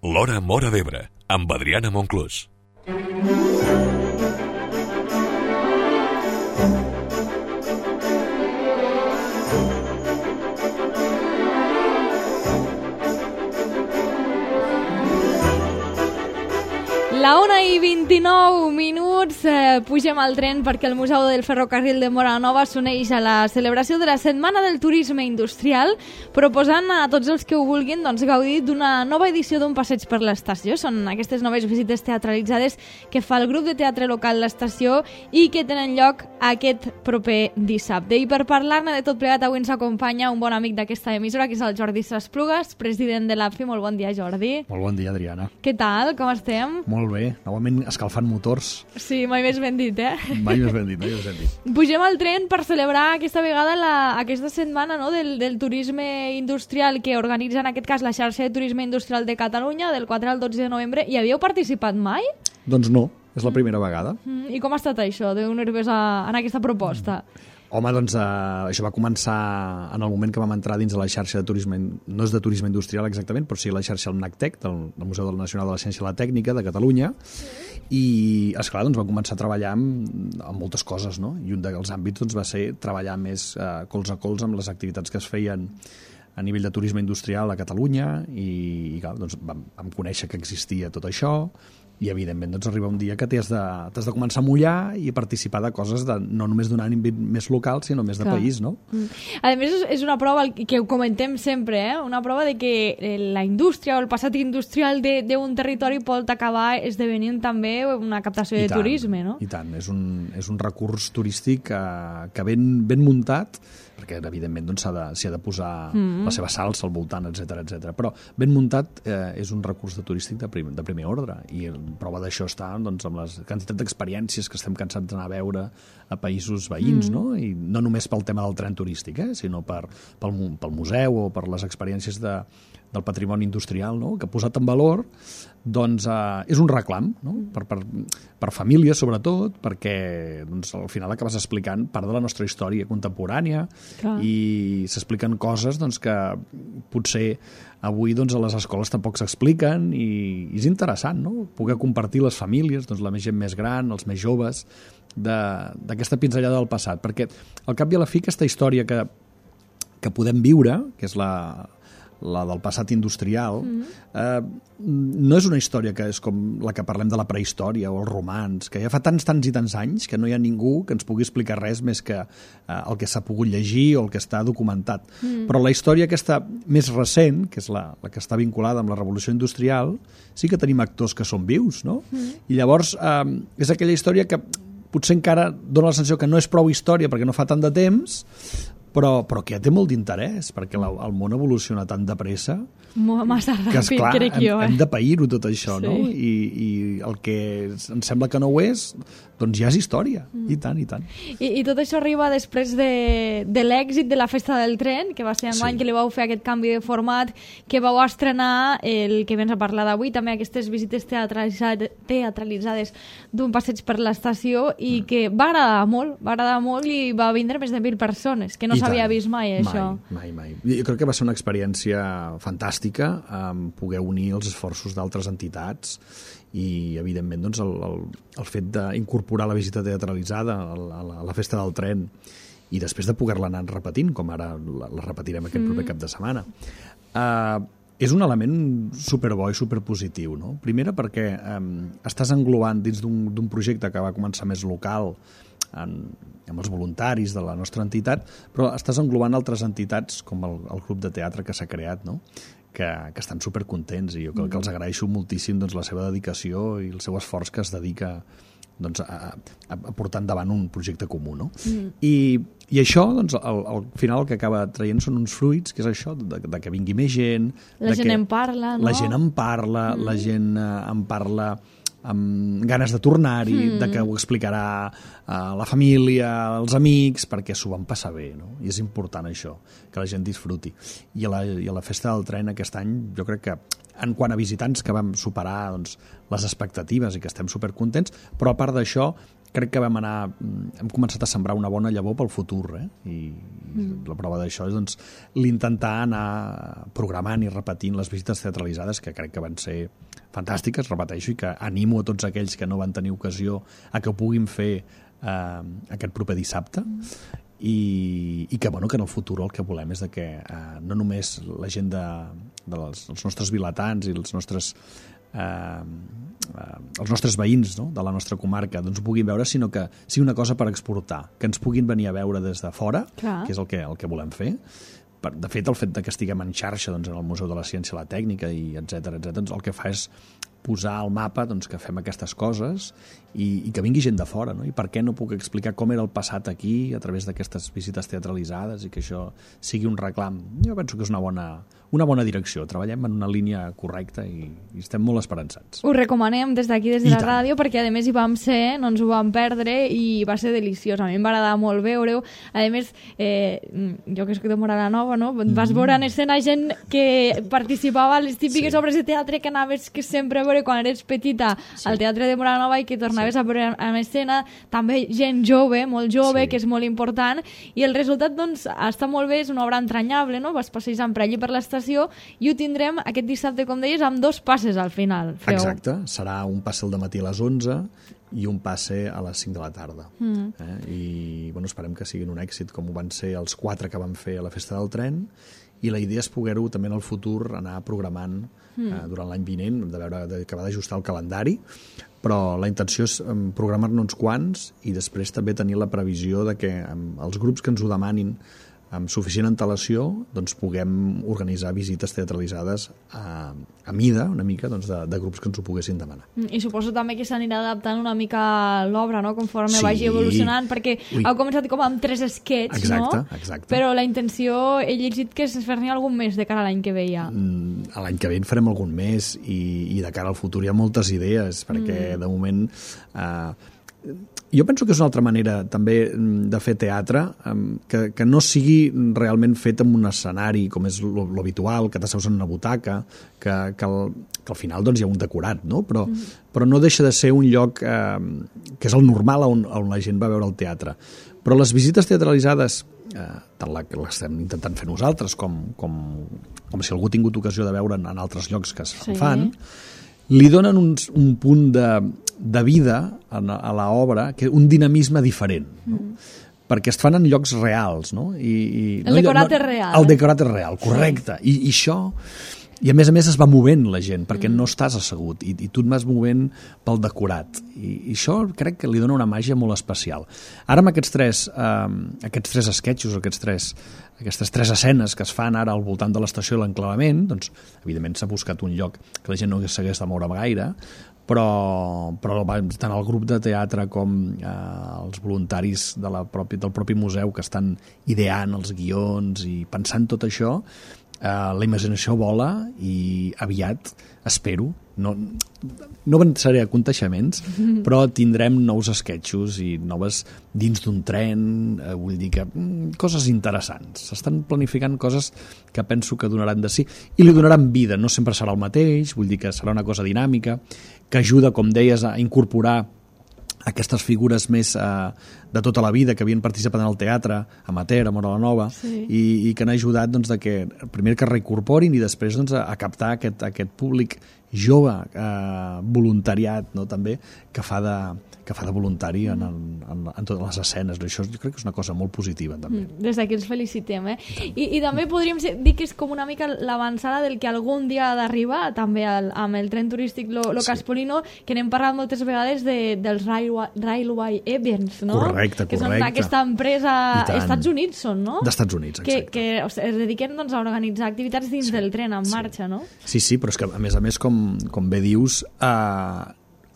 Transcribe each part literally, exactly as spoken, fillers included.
L'Hora Móra d'Ebre, amb Adriana Monclús. La una i vint-i-nou minuts, eh, pugem al tren perquè el Museu del Ferrocarril de Móra la Nova s'uneix a la celebració de la Setmana del Turisme Industrial, proposant a tots els que ho vulguin doncs, gaudir d'una nova edició d'un passeig per l'estació. Són aquestes noves visites teatralitzades que fa el grup de teatre local l'estació i que tenen lloc aquest proper dissabte. I per parlar-ne de tot plegat, avui ens acompanya un bon amic d'aquesta emissora, que és el Jordi Sasplugas, president de l'A F I. Molt bon dia, Jordi. Molt bon dia, Adriana. Què tal? Com estem? Molt bé, novament escalfant motors. Sí, mai més ben dit, eh? Mai més ben dit, mai més ben dit. Pugem al tren per celebrar aquesta vegada la, aquesta setmana, no?, del, del turisme industrial que organitza en aquest cas la xarxa de turisme industrial de Catalunya del quatre al dotze de novembre. Hi havíeu participat mai? Doncs no, és la primera vegada. Mm, I com ha estat això, de unir-vos en aquesta proposta? Mm. Home, doncs eh, això va començar en el moment que vam entrar dins de la xarxa de turisme, no és de turisme industrial exactament, però sí la xarxa del NACTEC, del, del Museu Nacional de la Ciència i la Tècnica de Catalunya, sí. I, esclar, doncs vam començar a treballar amb, amb moltes coses, no? I un dels àmbits doncs, va ser treballar més eh, colze a colze amb les activitats que es feien a nivell de turisme industrial a Catalunya i, i clar, doncs, vam, vam conèixer que existia tot això. I, evidentment, doncs, arriba un dia que t'has de, t'has de començar a mullar i a participar de coses de, no només d'un àmbit més local, sinó més de Clar. país, no? Mm. A més, és una prova que ho comentem sempre, eh? Una prova de que la indústria o el passat industrial d'un territori pot acabar esdevenint també una captació I de tant, turisme, no? I tant, és un, és un recurs turístic eh, que ben, ben muntat, perquè evidentment doncs, s'ha de, s'hi ha de posar mm. la seva salsa al voltant, etcètera, etcètera. Però ben muntat eh, és un recurs de turístic de, prim, de primer ordre, i prova d'això està doncs, amb les quantitat d'experiències que estem cansats d'anar a veure a països veïns, mm. no? I no només pel tema del tren turístic, eh? sinó per, pel, pel museu o per les experiències de, del patrimoni industrial, no? Que posat en valor doncs, eh, és un reclam, no? per, per, per famílies sobretot, perquè doncs, al final acabes explicant part de la nostra història contemporània. Clar. I s'expliquen coses doncs, que potser avui doncs, a les escoles tampoc s'expliquen i, i és interessant, no? Poder compartir les famílies, doncs, la gent més gran, els més joves, d'aquesta pinzellada del passat, perquè al cap i a la fi aquesta història que, que podem viure, que és la la del passat industrial, mm-hmm. eh, no és una història que és com la que parlem de la prehistòria o els romans, que ja fa tants, tants i tants anys que no hi ha ningú que ens pugui explicar res més que eh, el que s'ha pogut llegir o el que està documentat. Mm. Però la història aquesta més recent, que és la, la que està vinculada amb la revolució industrial, sí que tenim actors que són vius, no? Mm. I llavors eh, és aquella història que potser encara dona la sensació que no és prou història perquè no fa tant de temps, però, però que ja té molt d'interès, perquè la, el món evoluciona tan de pressa massa ràpid, que, esclar, crec jo. Eh? Hem, hem de pair-ho tot això, sí. no? I, I el que ens sembla que no ho és, doncs ja és història. Mm. I tant, i tant. I, i tot això arriba després de, de l'èxit de la Festa del Tren, que va ser enguany sí. que li vau fer aquest canvi de format, que vau estrenar el que vens a parlar d'avui, també aquestes visites teatralitzades, teatralitzades d'un passeig per l'estació, i mm. que va agradar molt, va agradar molt i va vindre més de mil persones, que no s'havia vist mai, això. Mai, mai, mai. Jo crec que va ser una experiència fantàstica, um, poder unir els esforços d'altres entitats i, evidentment, doncs, el, el, el fet d'incorporar la visita teatralitzada a la, a la Festa del Tren i després de poder-la anar repetint, com ara la, la repetirem aquest mm. proper cap de setmana. Uh, és un element superbo i superpositiu, no? Primera perquè um, estàs englobant dins d'un projecte que va començar més local, En, amb els voluntaris de la nostra entitat, però estàs englobant altres entitats com el, el grup de teatre que s'ha creat, no? que, que estan supercontents i jo crec que els agraeixo moltíssim doncs, la seva dedicació i el seu esforç que es dedica doncs, a, a, a portar endavant un projecte comú. No? Mm. I, I això, doncs, al, al final el que acaba traient són uns fruits, que és això, de, de que vingui més gent... La de gent que en parla, no? La gent en parla, mm. la gent eh, en parla amb ganes de tornar-hi, mm. de que ho explicarà a la família, als amics, perquè s'ho van passar bé, no? I és important això, que la gent disfruti. I a la, i a la Festa del Tren aquest any jo crec que en quant a visitants que vam superar doncs, les expectatives i que estem supercontents, però a part d'això crec que vam anar, hem començat a sembrar una bona llavor pel futur, eh? I mm. la prova d'això és doncs, l'intentar anar programant i repetint les visites teatralitzades, que crec que van ser fantàstiques, repeteixo, i que animo a tots aquells que no van tenir ocasió a que ho puguin fer eh, aquest proper dissabte, mm. I, i que, bueno, que en el futur el que volem és de que eh, no només la gent de, de les, els nostres vilatans i els nostres eh, eh, els nostres veïns, no?, de la nostra comarca doncs ho puguin veure, sinó que sigui una cosa per exportar, que ens puguin venir a veure des de fora, Clar. que és el que, el que volem fer. De fet, el fet de que estiguem en xarxa doncs, en el Museu de la Ciència i la Tècnica i etcètera, etcètera, doncs el que fa és posar al mapa doncs, que fem aquestes coses i, i que vingui gent de fora, no? I per què no puc explicar com era el passat aquí a través d'aquestes visites teatralitzades i que això sigui un reclam. Jo penso que és una bona, una bona direcció. Treballem en una línia correcta i, i estem molt esperançats. Ho recomanem des d'aquí, des de I la tant. ràdio, perquè a més hi vam ser, no ens ho vam perdre i va ser deliciós. A mi em va agradar molt veure-ho. A més, eh, jo que soc de Mora Nova, no? Vas veure en escena gent que participava a les típiques Sí. obres de teatre que anaves que sempre veure quan eres petita Sí. al Teatre de Mora Nova i que tornaves sí. a veure en escena. També gent jove, molt jove, Sí. que és molt important. I el resultat, doncs, està molt bé, és una obra entranyable, no? Vas passejant per allí per l'estació i ho tindrem aquest dissabte, com deies, amb dos passes al final. Feu. Exacte, serà un passe al dematí a les onze i un passe a les cinc de la tarda. Mm. Eh? I bueno, esperem que siguin un èxit, com ho van ser els quatre que van fer a la Festa del Tren, i la idea és poder-ho també en el futur anar programant mm. eh, durant l'any vinent, hem de veure de, que va d'ajustar el calendari, però la intenció és um, programar-ne uns quants i després també tenir la previsió de que um, els grups que ens ho demanin amb suficient antelació doncs puguem organitzar visites teatralitzades a, a mida, una mica, doncs, de, de grups que ens ho poguessin demanar. I suposo també que s'anirà adaptant una mica l'obra, no?, conforme Sí. vagi evolucionant, perquè Ui. heu començat com amb tres esquets, Exacte, no? exacte. Però la intenció, he llegit que és fer-ne algun més de cara a l'any que ve ja. Mm, a l'any que ve en farem algun més i, i de cara al futur hi ha moltes idees, perquè mm. de moment... Eh, jo penso que és una altra manera també de fer teatre, que, que no sigui realment fet en un escenari com és l'habitual, que t'asseus en una butaca, que, que, al, que al final doncs, hi ha un decorat, no? Però, mm. però no deixa de ser un lloc eh, que és el normal on, on la gent va a veure el teatre. Però les visites teatralitzades, eh, tant la que l'estem intentant fer nosaltres com, com, com si algú ha tingut ocasió de veure en, en altres llocs que es sí. fan, li donen un, un punt de, de vida a, a l'obra, que un dinamisme diferent, no? Mm. Perquè es fan en llocs reals, no? I, i, el no, decorat no, és real. El eh? decorat és real, correcte. Sí. I, I això... I a més a més es va movent la gent, perquè mm. no estàs assegut, i, i tu et vas movent pel decorat. I, I això crec que li dona una màgia molt especial. Ara amb aquests tres, eh, aquests tres esquetxos, aquests tres, aquestes tres escenes que es fan ara al voltant de l'estació i l'enclavament, doncs, evidentment s'ha buscat un lloc que la gent no s'hagués de moure gaire, però, però tant el grup de teatre com eh, els voluntaris de la propi, del propi museu que estan ideant els guions i pensant tot això, Uh, la imaginació vola i aviat, espero, no, no avançaré a conteixements, mm. però tindrem nous esquetxos i noves dins d'un tren, uh, vull dir que mm, coses interessants. S'estan planificant coses que penso que donaran de sí i li donaran vida, no sempre serà el mateix, vull dir que serà una cosa dinàmica, que ajuda, com deies, a incorporar aquestes figures més eh, de tota la vida que havien participat en el teatre amateur, a Mora la Nova, sí. i, i que han ajudat doncs, de que, primer que reincorporin i després doncs, a, a captar aquest, aquest públic jove, eh, voluntariat, no, també, que fa de, que fa de voluntari en, en, en totes les escenes. Això jo crec que és una cosa molt positiva, també. Des d'aquí els felicitem, eh? I, i també podríem dir que és com una mica l'avançada del que algun dia ha d'arribar, també al, amb el tren turístic lo, lo sí. Caspolino, que n'hem parlat moltes vegades de, dels Railway, Railway Events, no? Correcte, que correcte. són aquesta empresa... Estats Units són, no? D'Estats Units, exacte. Que, que o sigui, es dediquen doncs, a organitzar activitats dins sí. del tren en sí. marxa, no? Sí, sí, però és que, a més a més, com, com bé dius, eh,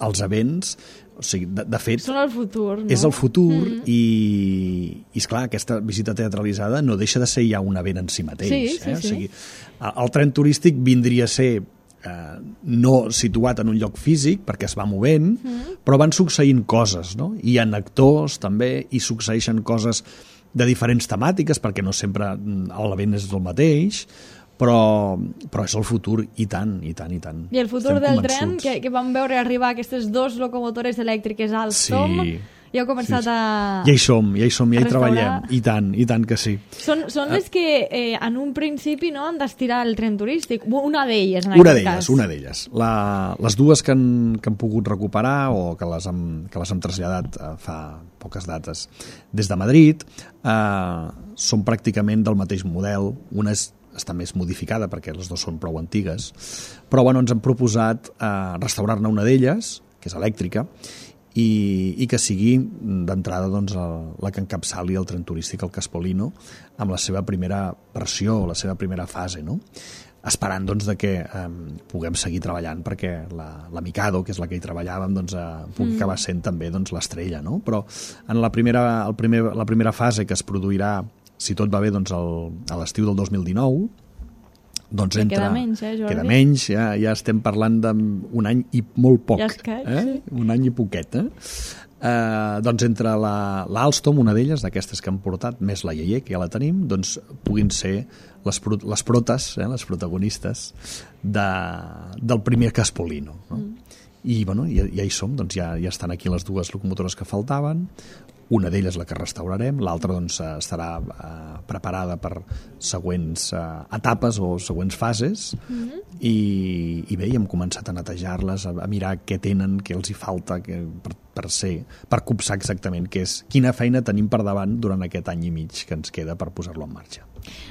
els events... O sigui, de, de fet... Són el futur, no? És el futur mm-hmm. i, i, esclar, aquesta visita teatralitzada no deixa de ser ja un event en si mateix. Sí, sí, eh? sí. O sigui, el tren turístic vindria a ser eh, no situat en un lloc físic, perquè es va movent, mm. però van succeint coses, no? Hi ha actors, també, i succeeixen coses de diferents temàtiques, perquè no sempre l'event és el mateix, però, però és el futur, i tant, i tant, i tant. I el futur Estem del convençuts. Tren, que, que vam veure arribar aquestes dues locomotores elèctriques Alstom, sí. ja heu començat sí, sí. a... Ja hi som, ja hi som, ja hi restaurar. treballem. I tant, i tant que sí. Són, són les que eh, en un principi no, han d'estirar el tren turístic. Una d'elles, en Una aquest d'elles, cas. una d'elles. La, les dues que han, que han pogut recuperar o que les hem, que les hem traslladat eh, fa poques dates des de Madrid eh, són pràcticament del mateix model. Una és, està més modificada perquè les dues són prou antigues, però bueno, ens han proposat eh, restaurar-ne una d'elles, que és elèctrica, i, i que sigui d'entrada doncs, el, la que encapçali el tren turístic al Caspolino amb la seva primera versió, la seva primera fase, no? Esperant doncs, de que eh, puguem seguir treballant perquè la, la Mikado, que és la que hi treballàvem, doncs, eh, pugui mm. acabar sent també doncs, l'estrella, no? Però en la primera, el primer, la primera fase que es produirà, si tot va bé, doncs, el, a l'estiu del dos mil dinou, doncs entra, queda menys, eh, Jordi? Queda menys, ja, ja estem parlant d'un any i molt poc. Ja escaig, eh? sí. Un any i poquet, eh? Eh, doncs entre l'Alstom, una d'elles, d'aquestes que han portat, més la Yeye, que ja la tenim, doncs puguin ser les, pro, les protes, eh, les protagonistes de, del primer Caspolino. No? Mm. I bueno, ja, ja hi som, doncs ja, ja estan aquí les dues locomotores que faltaven. Una d'elles la que restaurarem, l'altra doncs, estarà eh, preparada per següents eh, etapes o següents fases, mm-hmm. i, i bé, hem començat a netejar-les, a, a mirar què tenen, què els hi falta que, per, per ser, per copsar exactament què és, quina feina tenim per davant durant aquest any i mig que ens queda per posar-lo en marxa.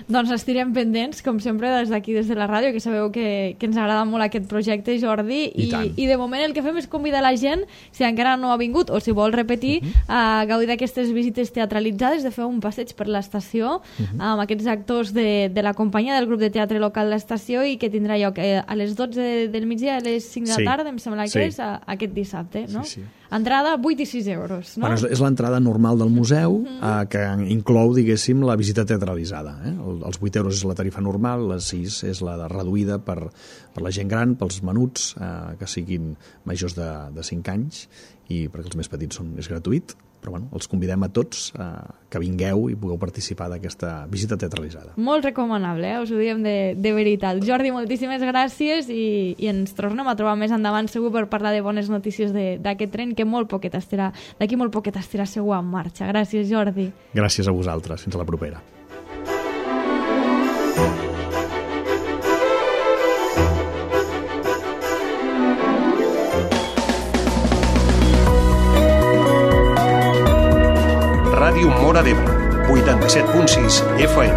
Doncs estirem pendents, com sempre, des d'aquí, des de la ràdio, que sabeu que, que ens agrada molt aquest projecte, Jordi, i, I, i de moment el que fem és convidar la gent, si encara no ha vingut o si vol repetir, uh-huh. a gaudir d'aquestes visites teatralitzades, de fer un passeig per l'estació, uh-huh. amb aquests actors de, de la companyia del grup de teatre local de l'estació, i que tindrà lloc a les dotze del migdia, a les cinc de la sí. tarda, em sembla que sí. és, a, aquest dissabte, no? Sí, sí. Entrada vuit i sis euros, no? Bueno, és, és l'entrada normal del museu, uh-huh. eh, que inclou, diguéssim, la visita teatralitzada. Eh? El, els vuit euros és la tarifa normal, les sis és la reduïda per, per la gent gran, pels menuts, eh, que siguin majors de, de cinc anys, i perquè els més petits són, és gratuït, però bueno, els convidem a tots eh, que vingueu i pugueu participar d'aquesta visita teatralitzada. Molt recomanable, eh? Us ho diem de, de veritat. Jordi, moltíssimes gràcies, i, i ens tornem a trobar més endavant segur per parlar de bones notícies d'aquest tren que molt poquet estarà, d'aquí molt poquet estarà segur en marxa. Gràcies, Jordi. Gràcies a vosaltres. Fins a la propera. Ràdio Móra d'Ebre, vuitanta-set punt sis F M.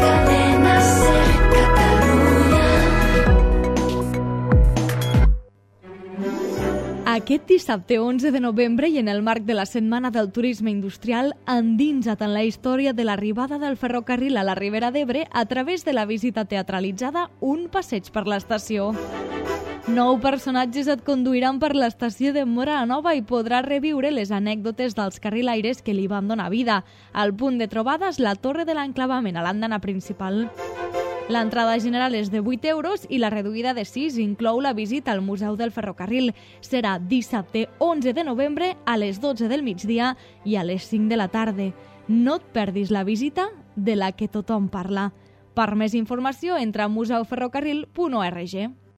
Cadena Ser Catalunya. Aquest dissabte onze de novembre, i en el marc de la Setmana del Turisme Industrial, endinsa't en la història de l'arribada del ferrocarril a la Ribera d'Ebre a través de la visita teatralitzada Un passeig per l'estació. Nou personatges et conduiran per l'estació de Móra la Nova i podràs reviure les anècdotes dels carrilaires que li van donar vida. Al punt de trobada és la Torre de l'Enclavament, a l'andana principal. L'entrada general és de vuit euros i la reduïda de sis inclou la visita al Museu del Ferrocarril. Serà dissabte onze de novembre a les dotze del migdia i a les cinc de la tarda. No et perdis la visita de la que tothom parla. Per més informació, entra a museu ferrocarril punt org.